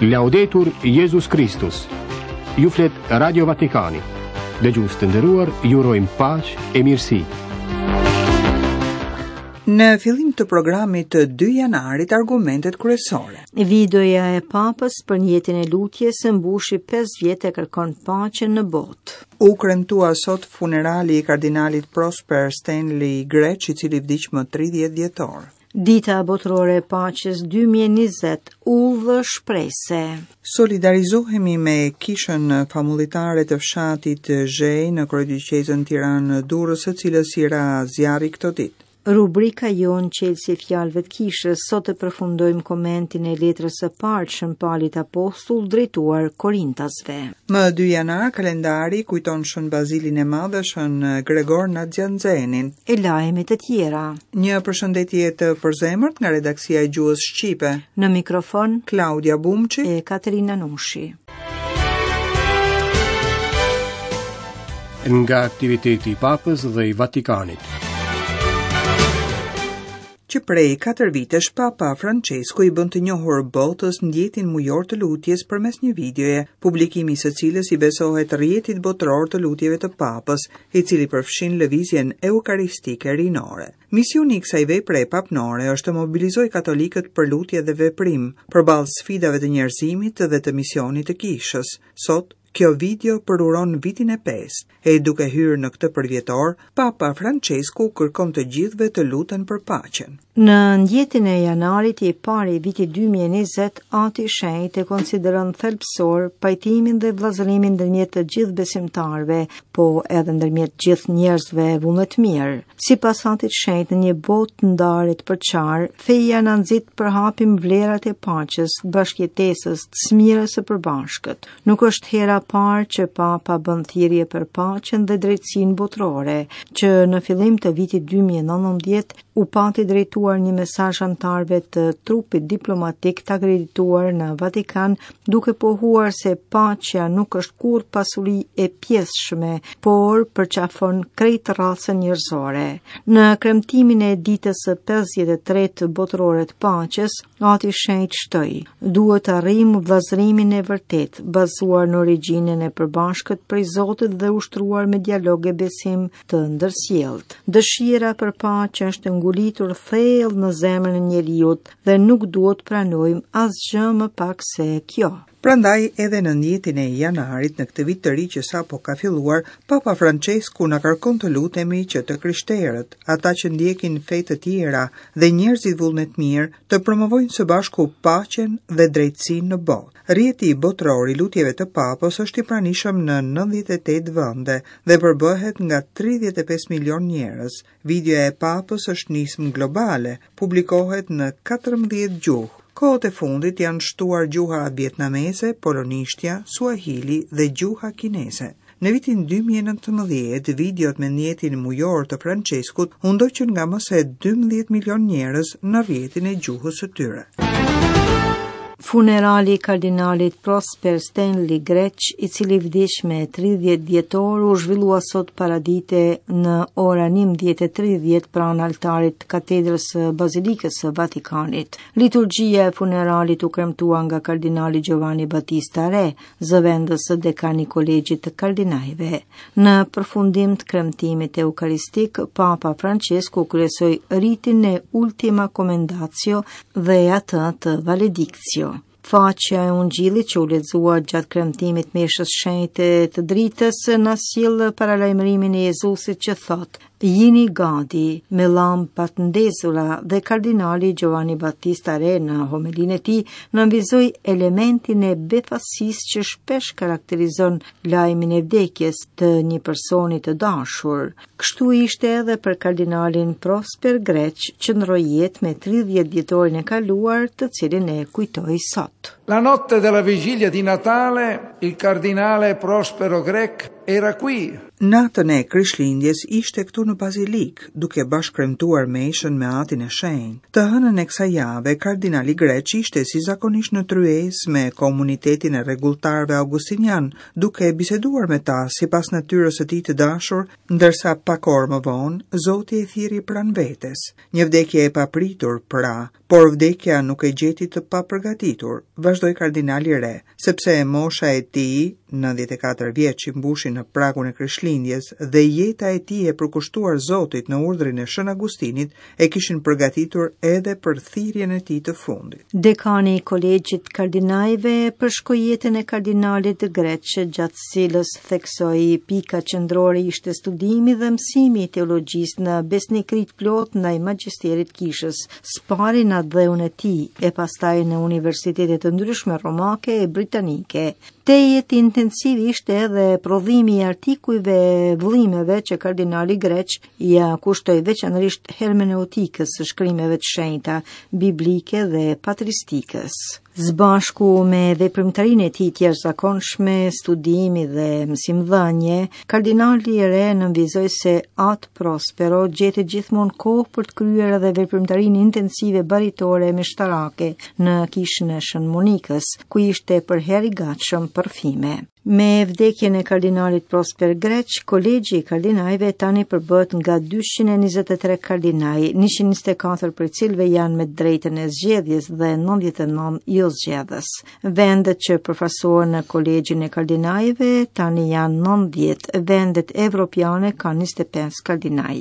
Laudetur Jezus Kristus. Ju flet Radio Vatikani. Dëgjues të nderuar, ju urojmë paqe e mirësi. Në fillim të programit të 2 janarit argumentet kryesore. Videoja e Papës për ndjetin e lutjes mbushi 5 vjet e kërkon paqen në botë. U kremtua sot funerali i kardinalit Prosper Stanley Grech, i cili vdiq më 30 dhjetor. Dita Botërore e Paqes 2020, udhë shprese. Solidarizohemi me kishën famullitare të fshatit Zhej në kryedioqezën Tiranë-Durrës, së cilës i ra zjarri këto ditë. Rubrika jonë Çelësi i fjalëve të kishës, sot e përfundojmë komentin e letrës së parë të Shën Palit Apostull drejtuar Korintasve. Më 2 janar, kalendari kujton Shën Bazilin e Madh dhe Shën Gregor Nazianzenin. E lajme të tjera. Një përshëndetje të përzemërt nga redaksia e gjuhës shqipe. Në mikrofon Klaudia Bumçi e Katerina Nushi. Nga aktiviteti i Papës dhe i Vatikanit. Që prej 4 vitesh Papa Francesku i bën të njohur botës ndjetin mujor të lutjes përmes një videoje, publikimi i së cilës i besohet rrjetit botëror të lutjeve të Papës, i cili përfshin lëvizjen eukaristike rinore. Misioni i kësaj vepre papnore është të mobilizojë katolikët për lutje dhe veprim, përballë sfidave të njerëzimit dhe të misionit të kishës. Sot, kjo video përuron vitin e pestë, e duke hyrë në këtë përvjetor, Papa Francesku kërkon të gjithëve të luten për paqen. Në ndjetin e janarit i parë i vitit 2020, Ati i Shenjtë e konsideron thelbësor pajtimin dhe vëllazërimin ndërmjet të gjithë besimtarëve, po edhe ndërmjet gjithë njerëzve vullnetmirë. Sipas Atit të Shenjtë në një botë të ndarë e të përçarë, feja na nxit të përhapim vlerat e paqes, të bashkëjetesës, të së mirës së përbashkët. Nuk është hera e parë që Papa bën thirrje për paqen dhe drejtësinë botërore, që në fillim të vitit 2019 u pati drejtuar një mesazh anëtarëve të trupit diplomatik të akredituar në Vatikan, duke pohuar se paqja nuk është kurrë pasuri e pjesshme, por përqafon krejt racën njerëzore. Në kremtimin e ditës së 53 botërore të paqes, Ati i Shenjtë shtoi, duhet të arrijmë vëllazërimin e vërtetë, bazuar në origjinën e përbashkët prej Zotit dhe ushtruar me dialog e besim të ndërsjelltë. Dëshira për paqe është ngulitur thellë në zemrën e njeriut dhe nuk duhet të pranojmë asgjë më pak se kjo. Prandaj edhe në ndjetin e janarit në këtë vit të ri që sapo ka filluar, Papa Francesku na kërkon të lutemi që të krishterët, ata që ndjekin fe të tjera dhe njerëzit vullnetmirë, të promovojnë së bashku paqen dhe drejtësinë në botë. Rrjeti botëror i lutjeve të Papës është i pranishëm në 98 vende dhe përbëhet nga 35 milionë njerëz. Videoja e Papës është nismë globale, publikohet në 14 gjuhë. Kohët e fundit janë shtuar gjuha vietnameze, polonishtja, suahili dhe gjuha kineze. Në vitin 2019, videot me ndjetin mujor të Françeskut u ndoqën nga më se 12 milionë njerëz në rrjetin e gjuhës së tyre. Funerali i kardinalit Prosper Stanley Grech, i cili vdiq me 30 dhjetor, u zhvillua sot paradite në ora 11:30 pranë altarit të katedrës së Bazilikës së Vatikanit. Liturgjia e funeralit u kremtua nga kardinali Giovanni Battista Re, zëvendës dekan i Kolegjit të Kardinajve. Në përfundim të kremtimit eukaristik, Papa Francesku kryesoi ritin e Ultima Commendatio dhe atë të Valedictio. Faqja e Ungjillit që u lexua gjatë kremtimit meshës shenjte të dritës na sjell paralajmërimin e Jezusit që thotë: Jini gati me llampat ndezura dhe kardinali Giovanni Battista Re në homelinë e tij nënvizoi elementin e befasisë që shpesh karakterizon lajmin e vdekjes të një personi të dashur. Kështu ishte edhe për kardinalin Prosper Grech që ndërroi jetë me 30 dhjetorin e kaluar, të cilin e kujtoi sot. La notte della vigilia di Natale, il cardinale Prospero Grech. era qui. Natën e Krishtlindjes ishte këtu në Bazilikë, duke bashkëkremtuar meshën me Atin e Shenjtë. Të hënën e kësaj jave, kardinali Greç ishte si zakonisht në tryezë me komunitetin e rregulltarëve augustinianë, duke biseduar me ta sipas natyrës së tij të dashur, ndërsa pak orë më vonë, Zoti e thirri pranë vetes. Një vdekje e papritur, pra, por vdekja nuk e gjeti të papërgatitur, vazhdoi kardinali Re, sepse mosha e tij, 94 vjeç i mbushi në pragun e Krishtlindjes dhe jeta e tij e përkushtuar Zotit në urdhrin e Shën Agustinit e kishin përgatitur edhe për thirrjen e tij të fundit. Dekani i Kolegjit të Kardinajve përshkoi jetën e kardinalit Greç, gjatë së cilës theksoi pika qendrore ishte studimi dhe mësimi i teologjisë në besnikëri të plotë ndaj magjisterit të kishës, së pari në atdheun e tij e pastaj në universitete të ndryshme romake e britanike. Tejet intensiv ishte edhe prodhimi i artikujve e vëllimeve që kardinali Greç ia kushtoi veçanërisht hermeneutikës së shkrimeve të shenjta, biblike dhe patristikës. Së bashku me veprimtarinë e tij të jashtëzakonshme, studimi dhe mësimdhënie, kardinali Re nënvizoi se At Prospero gjeti gjithmonë kohë për të kryer edhe veprimtarinë intensive baritore e meshtarake në kishën e Shën Monikës, ku ishte përherë i gatshëm për rrëfime. Me vdekjen e kardinalit Prosper Greç, kolegji i kardinajve tani përbëhet nga 223 kardinaj, 124 prej cilëve janë me drejtën e zgjedhjes dhe 99 jo zgjedhës. Vendet që përfaqësohen në kolegjin e kardinajve tani janë 90, vendet evropiane kanë 25 kardinaj.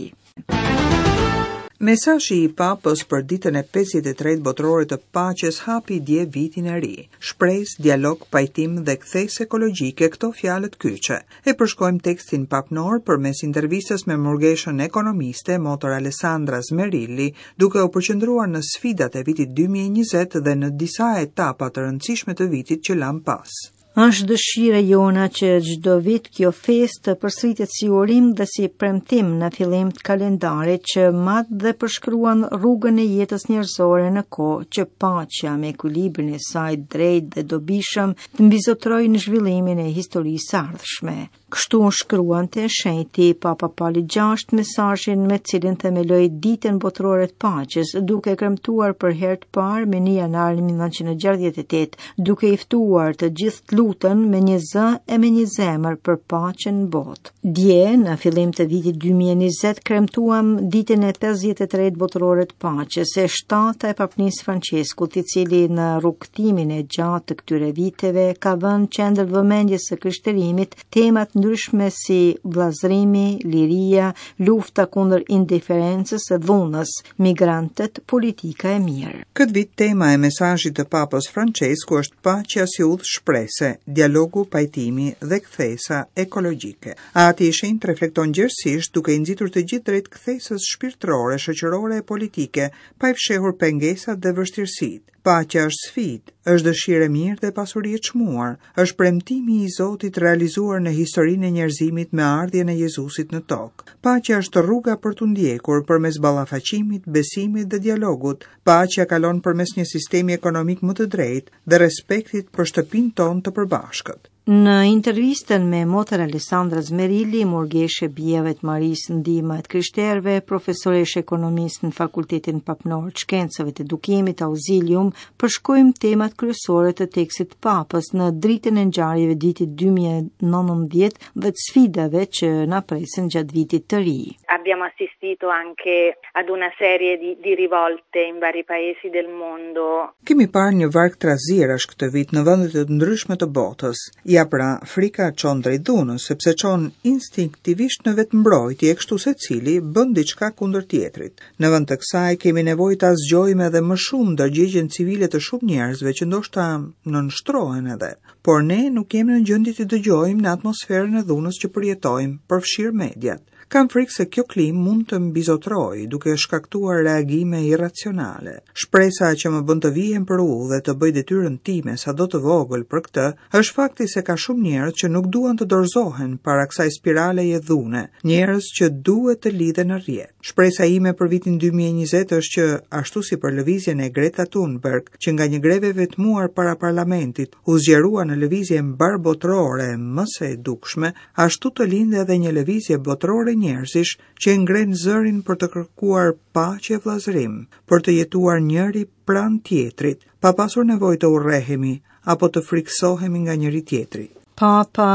Mesazhi i Papës për ditën e 53 botërore të paqes hapi dje vitin e ri. Shpresë, dialog, pajtim dhe kthesë ekologjike këto fjalët kyçe. E përshkojmë tekstin papnor përmes intervistës me murgeshën ekonomiste Motër Alessandra Smerilli, duke u përqendruar në sfidat e vitit 2020 dhe në disa etapa të rëndësishme të vitit që lamë pas. Është dëshira jona që çdo vit kjo festë të përsëritet si urim dhe si premtim në fillim të kalendarit që mat dhe përshkruan rrugën e jetës njerëzore në kohë që paqja me ekuilibrin e saj drejt dhe dobishëm të mbizotërojë në zhvillimin e historisë së ardhshme. Kështu shkruante shenjti Papa Pali VI mesazhin me cilin themeloi Ditën Botërore të Paqes, duke kremtuar për herë të parë me 1 janar 1968, duke i ftuar të gjithë të luten me një zë e me një zemër për paqen në botë. Dje, në fillim të vitit 2020, kremtuam Ditën e 53 Botërore të Paqes, e shtata e Papnisë Françeskut, i cili në rrugëtimin e gjatë të këtyre viteve ka vënë qendër vëmendjes së krishterimit tema të ndryshme si vëllazërimi, liria, lufta kundër indiferencës e dhunës, migrantët, politika e mirë. Këtë vit tema e mesazhit të Papës Françesku është paqja si udhë shprese, dialogu, pajtimi dhe kthesa ekologjike. Ati i Shenjtë reflekton gjerësisht duke i nxitur të gjithë drejt kthesës shpirtërore, shoqërore e politike, pa i fshehur pengesat dhe vështirësitë. Paqja është sfidë, është dëshirë e mirë dhe pasuri e çmuar, është premtimi i Zotit realizuar në historinë e njerëzimit me ardhjen e Jezusit në tokë. Paqja është rruga për t'u ndjekur përmes ballafaqimit, besimit dhe dialogut. Paqja kalon përmes një sistemi ekonomik më të drejtë dhe respektit për shtëpinë tonë të përbashkët. Në intervistën me Motër Alessandra Smerilli, murgeshë e Bijave të Marisë Ndihma e të Krishterëve, profesoreshë e ekonomisë në Fakultetin Papnor të Shkencave të Edukimit Auxilium, përshkojmë temat kryesore të tekstit të Papës në dritën e ngjarjeve të vitit 2019 dhe të sfidave që na presin gjatë vitit të ri. Abbiamo assistito anche ad una serie di, di rivolte in vari paesi del mondo. Kemi parë një varg trazirash këtë vit në vende të ndryshme të botës. Ja pra, frika çon drejt dhunës, sepse çon instinktivisht në vetëmbrojtje e kështu secili bën diçka kundër tjetrit. Në vend të kësaj kemi nevojë ta zgjojmë edhe më shumë ndërgjegjen civile të shumë njerëzve që ndoshta nënshtrohen edhe. Por ne nuk jemi në gjendje të dëgjojmë në atmosferën e dhunës që përjetojmë, përfshirë mediat. Kam frikë se kjo klimë mund të mbizotërojë, duke shkaktuar reagime irracionale. Shpresa që më bën të vihem për udhë dhe të bëj detyrën time sado të vogël për këtë, është fakti se ka shumë njerëz që nuk duan të dorëzohen para kësaj spiraleje dhune, njerëz që duhet të lidhen në rrjet. Shpresa ime për vitin 2020 është që, ashtu si për lëvizjen e Greta Thunberg, që nga një grevë e vetmuar para parlamentit, u zgjerua në lëvizje mbarëbotërore më se e dukshme, ashtu të lindë edhe një lëvizje botërore njerëzish që e ngrenë zërin për të kërkuar paqe e vëllazërim, për të jetuar njëri pranë tjetrit, pa pasur nevojë të urrehemi apo të frikësohemi nga njëri-tjetri. Papa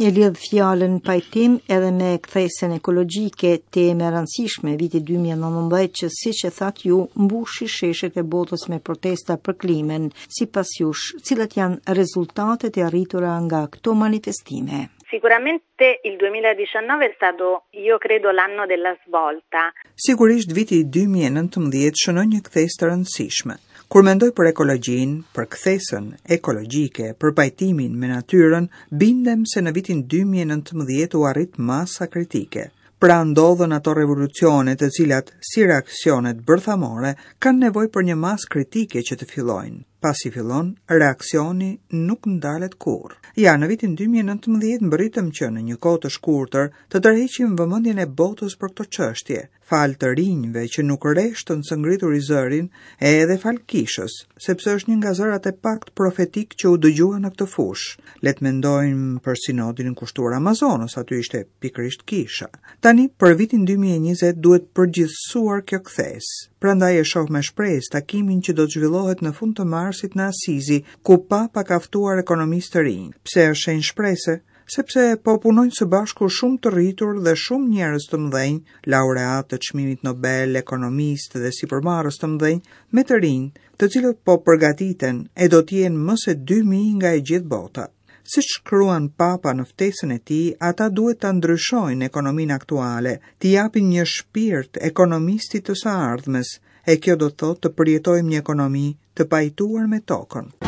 e lidh fjalën pajtim edhe me kthesën ekologjike, temë e rëndësishme e vitit 2019 që siç e thatë ju mbushi sheshet e botës me protesta për klimën. Sipas jush, cilat janë rezultatet e arritura nga këto manifestime? Sicuramente il 2019 è stato, io credo, l'anno della svolta. Sigurisht viti 2019 shënoi një kthesë të rëndësishme. Kur mendoj për ekologjinë, për kthesën ekologjike, për pajtimin me natyrën, bindem se në vitin 2019 u arrit masa kritike. Pra ndodhën ato revolucione të cilat, si reaksionet bërthamore, kanë nevojë për një masë kritike që të fillojnë. Pasi fillon, reaksioni nuk ndalet kurrë. Ja, në vitin 2019 mbërritëm që në një kohë të shkurtër të tërheqim vëmendjen e botës për këto çështje, falë të rinjve që nuk reshtën së ngrituri zërin e edhe falë kishës, sepse është një nga zërat e paktë profetikë që u dëgjua në këtë fushë. Le të mendojmë për sinodin kushtuar Amazonës, aty ishte pikërisht kisha. Tani, për vitin 2020 duhet përgjithësuar kjo kthesë. Prandaj e shoh me shpresë takimin që do të zhvillohet në fund të marsit në Asizi, ku Papa ka ftuar ekonomistë të rinj. Pse është shenjë shprese? sepse po punojnë së bashku shumë të rritur dhe shumë njerëz të mëdhenj, laureatë të çmimit Nobel, ekonomistë dhe sipërmarrës të mëdhenj, me të rinj, të cilët po përgatiten e do të jenë më se 2000 nga e gjithë bota. Siç shkruan Papa në ftesën e tij, ata duhet ta ndryshojnë ekonominë aktuale, t'i japin një shpirt ekonomistit të së ardhmes, e kjo do të thotë të përjetojmë një ekonomi të pajtuar me tokën.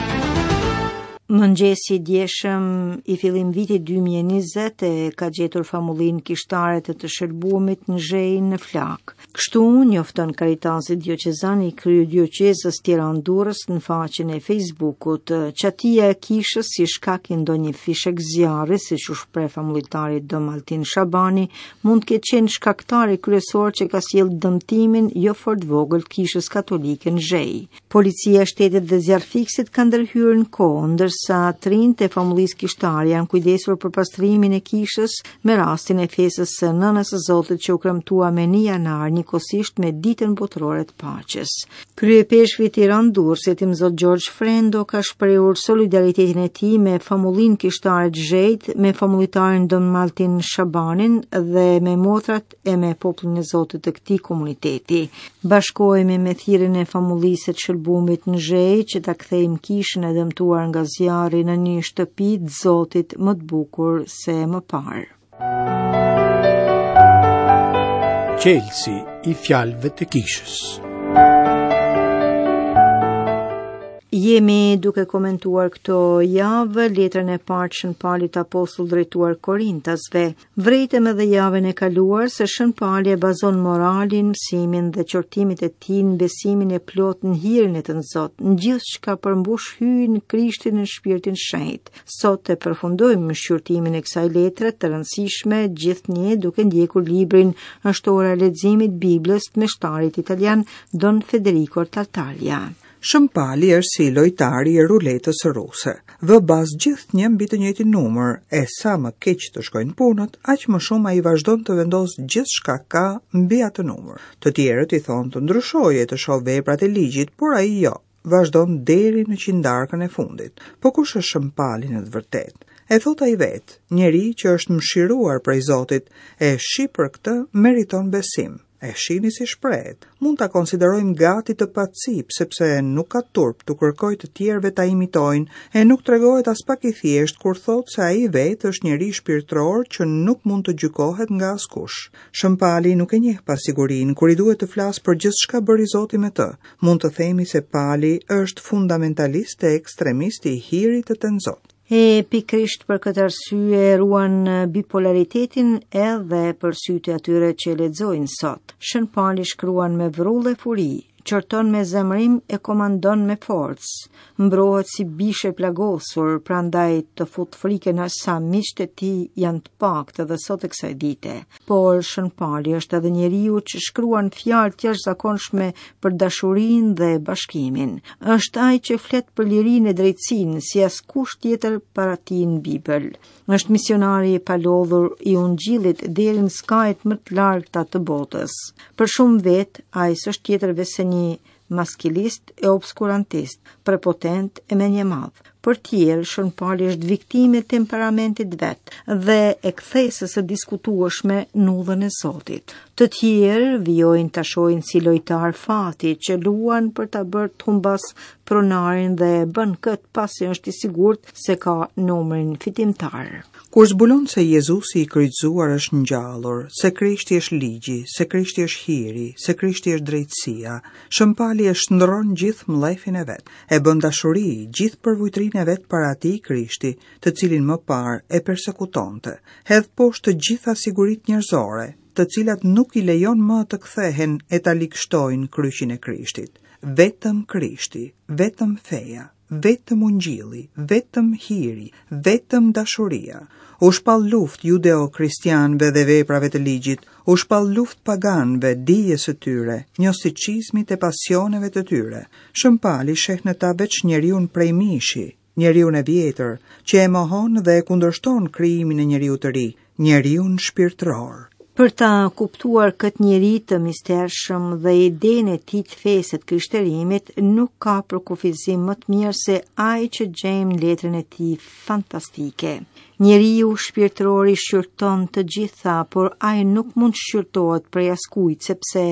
Mëngjesi i djeshëm i fillim vitit 2020 e ka gjetur famullinë kishtare të të shëlbuemit në Zhejë në flakë. Kështu njofton Karitasi Dioqezan i Kryedioqezës Tiranë-Durrës në faqen e Facebookut. Çatia e kishës si shkak i ndonjë fishekzjarri, siç u shpreh famullitari Dom Altin Shabani, mund të ketë qenë shkaktari kryesor që ka sjellë dëmtimin jo fort vogël të kishës katolike në Zhejë. Policia e shtetit dhe zjarrfikësit kanë ndërhyrë në kohë, ndërsa të rinjtë e famullisë kishtare janë kujdesur për pastrimin e kishës me rastin e festës së Nënës së Zotit që u kremtua me 1 janar njëkohësisht me Ditën Botërore të Paqes. Kryeipeshkvi i Tiranë-Durrësit, Imzot Gjergj Frendo, ka shprehur solidaritetin e tij me famullinë kishtare të Zhejit, me famullitarin Dom Altin Shabanin dhe me motrat e me popullin e Zotit të këtij komuniteti. Bashkohemi me thirrjen e famullisë së të Shëlbumit në Zhejë që ta kthejmë kishën e dëmtuar nga zjarri në një shtëpi të Zotit më të bukur se më parë. Çelësi i fjalëve të kishës. Jemi duke komentuar këto javë letrën e parë të Shën Palit Apostull drejtuar Korintasve. Vërejtëm edhe javën e kaluar se Shën Pali e bazon moralin, mësimin dhe qortimet e tij në besimin e plotë në hirin e Tënzot, në gjithçka përmbush Hyji në Krishtin në Shpirtin Shenjt. Sot e përfundojmë shqyrtimin e kësaj letre të rëndësishme gjithnjë duke ndjekur librin Është ora e leximit Biblës të meshtarit italian Don Federico Tartaglia. Shën Pali është si lojtari i ruletës ruse. Vë bast gjithnjë mbi të njëjtin numër, e sa më keq të shkojnë punët, aq më shumë ai vazhdon të vendosë gjithçka ka mbi atë numër. Të tjerët i thonë të ndryshojë e të shohë veprat e ligjit, por ai jo. vazhdon deri në qindarkën e fundit. Po kush është Shën Pali në të vërtetë? E thotë ai vetë, njeri që është mëshiruar prej Zotit, e shi për këtë meriton besim. E shihni si shprehet. Mund ta konsiderojmë gati të pacipë, sepse nuk ka turp t'u kërkojë të tjerëve ta imitojnë, e nuk tregohet aspak i thjeshtë kur thotë se ai vetë është njeri shpirtëror që nuk mund të gjykohet nga askush. Shën Pali nuk e njeh pasigurinë kur i duhet të flasë për gjithçka bëri Zoti me të. Mund të themi se Pali është fundamentalist e ekstremist i hirit të Tënzot. E pikërisht për këtë arsye ruan bipolaritetin edhe për sytë e atyre që e lexojnë sot. Shën Pali shkruan me vrull e furi, qorton me zemërim e komandon me forcë, mbrohet si bishë e plagosur, prandaj të fut frikën aq sa miqtë e tij janë të paktë edhe sot e kësaj dite. Por Shën Pali është edhe njeriu që shkruan fjalë të jashtëzakonshme për dashurinë dhe bashkimin. Është ai që flet për lirinë e drejtësinë si askush tjetër para tij në Bibël. Është misionari i palodhur i ungjillit deri në skajet më të largëta të botës. Për shumë vetë, ai s'është tjetër veçse një maskilist e obskurantist, prepotent e mendjemadh. Për tjerë, Shën Pali është viktimë e temperamentit vet dhe e kthesës së diskutueshme në udhën e Zotit. Të tjerë vijojnë ta shohin si lojtar fati që luan për ta bërë të humbasë pronarin dhe e bën këtë pasi është i sigurt se ka numrin fitimtar. Kur zbulon se Jezusi i kryqëzuar është ngjallur, se Krishti është ligji, se Krishti është hiri, se Krishti është drejtësia, Shën Pali e shndërron gjithë mllefin e vet, e bën dashuri gjithë përvujtërinë e vet para atij Krishti, të cilin më parë e persekutonte. Hedh poshtë të gjitha siguritë njerëzore, të cilat nuk i lejon më të kthehen e ta ligështojnë kryqin e Krishtit. Vetëm Krishti, vetëm feja. Vetëm ungjilli, vetëm hiri, vetëm dashuria. U shpall luftë judeo-kristianëve dhe veprave të ligjit, u shpall luftë paganëve, dijes së tyre, gnosticizmit e pasioneve të tyre. Shën Pali sheh në ta veç njeriun prej mishi, njeriun e vjetër, që e mohon dhe e kundërshton krijimin e njeriut të ri, njeriun shpirtëror. Për ta kuptuar këtë njeri të mistershëm dhe idenë e tij të fesë e të krishterimit, nuk ka përkufizim më të mirë se ai që gjejmë në letrën e tij fantastike. Njeriu shpirtëror i shqyrton të gjitha, por ai nuk mund të shqyrtohet prej askujt sepse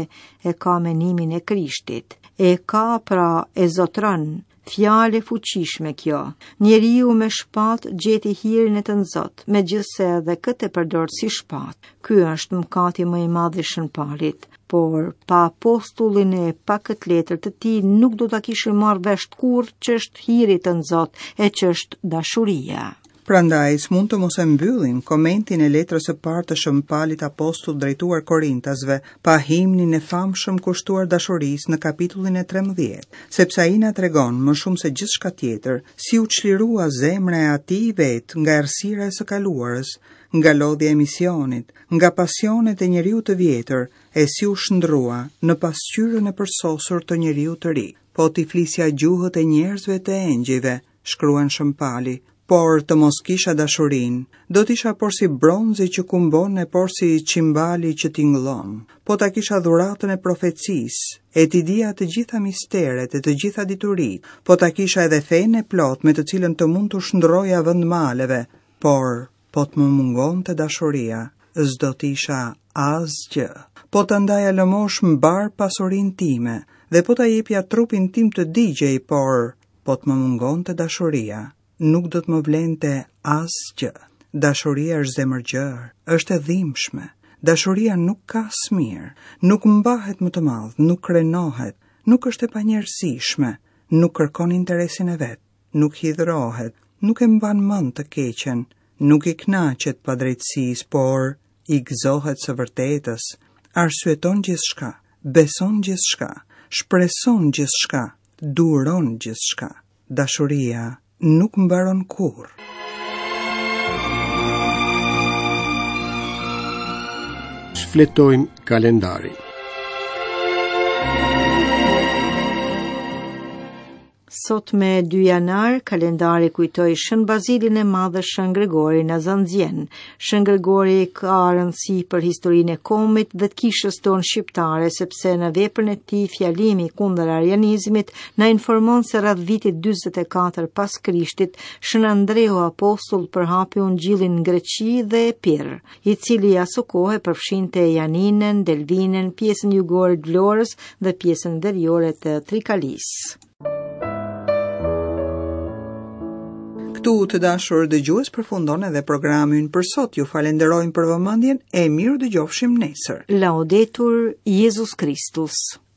e ka menimin e Krishtit. E ka pra e zotëron, Fjalë e fuqishme kjo. Njeriu me shpatë gjeti hirin e Tënzot, megjithëse edhe këtë e përdor si shpatë. Ky është mëkati më i madh i Shën Palit. Por, pa apostullin e pa këtë letër të tij, nuk do ta kishim marrë vesh kurrë ç'është hiri Tënzot e ç'është dashuria. Prandaj, s'mund të mos e mbyllim komentin e letrës së parë të Shën Palit Apostull drejtuar Korintasve pa himnin e famshëm kushtuar dashurisë në kapitullin e 13, sepse ai na tregon më shumë se gjithçka tjetër si u çlirua zemra e atij vetë nga errësira e së kaluarës, nga lodhja e misionit, nga pasionet e njeriut të vjetër e si u shndërrua në pasqyrën e përsosur të njeriut të ri. Po t'i flisja gjuhët e njerëzve e të engjëjve, shkruan Shën Pali, por të mos kisha dashurinë, do të isha porsi bronzi që kumbon e porsi çimbali që tingëllon. Po ta kisha dhuratën e profecisë, e t'i dija të gjitha misteret e të gjitha dituritë, po ta kisha edhe fenë e plotë me të cilën të mund t'u shndërroja vend maleve, por po të më mungonte dashuria, s'do të isha asgjë. Po ta ndaja lëmoshë mbarë pasurinë time, dhe po ta jepja trupin tim të digjej, por Po të më mungonte dashuria, nuk do të më vlente asgjë. Dashuria është zemërgjerë, është e dhimbshme. Dashuria nuk ka smirë, nuk mbahet më të madh, nuk krenohet, nuk është e panjerëzishme, nuk kërkon interesin e vet, nuk hidhërohet, nuk e mban mend të keqen, nuk i kënaqet padrejtësisë, por i gëzohet së vërtetës, arsyeton gjithçka, beson gjithçka, shpreson gjithçka, duron gjithçka. Dashuria nuk mbaron kurrë. Shfletojmë kalendarin. Sot me 2 janar, kalendari kujtoi Shën Bazilin e Madh dhe Shën Gregorin Nazianzen. Shën Gregori ka rëndësi për historinë e kombit dhe të kishës tonë shqiptare, sepse në veprën e tij fjalimi kundër arianizmit na informon se rreth vitit 44 pas Krishtit, Shën Andreu apostull përhapi ungjillin në Greqi dhe Epir, i cili asokohe përfshinte Janinën, Delvinën, pjesën jugore të Vlorës dhe pjesën veriore të Trikalisë. Këtu të dashur dëgjues përfundon edhe programi ynë për sot. Ju falenderojmë për vëmendjen e mirudëgjofshim nesër. Laudetur Jezus Kristus.